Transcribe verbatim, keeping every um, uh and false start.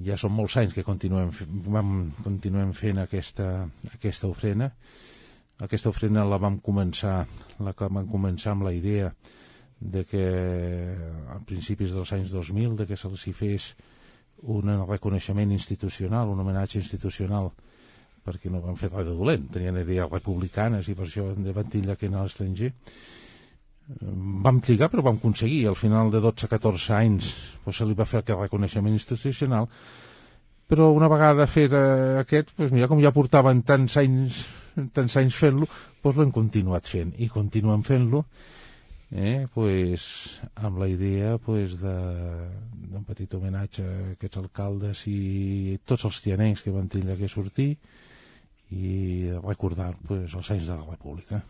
Ja són molts anys que continuem, vam, continuem fent aquesta, aquesta ofrena. Aquesta ofrena la vam començar, la que vam començar amb la idea de que a principis dels anys dos mil de que se'ls hi fes un reconeixement institucional, un homenatge institucional, perquè no van fer res de dolent, tenien idees republicanes i per això van titllar que anar a l'estranger. Vam trigar, però vam aconseguir. Al final de dotze a catorze anys pues, se li va fer aquest reconeixement institucional, però una vegada fet eh, aquest, pues, mira, com ja portaven tants anys, tants anys fent-lo, pues, l'hem continuat fent i continuem fent-lo eh, pues, amb la idea pues, d'un petit homenatge a aquests alcaldes i tots els tianencs que van tindre que sortir i recordar pues, els anys de la República.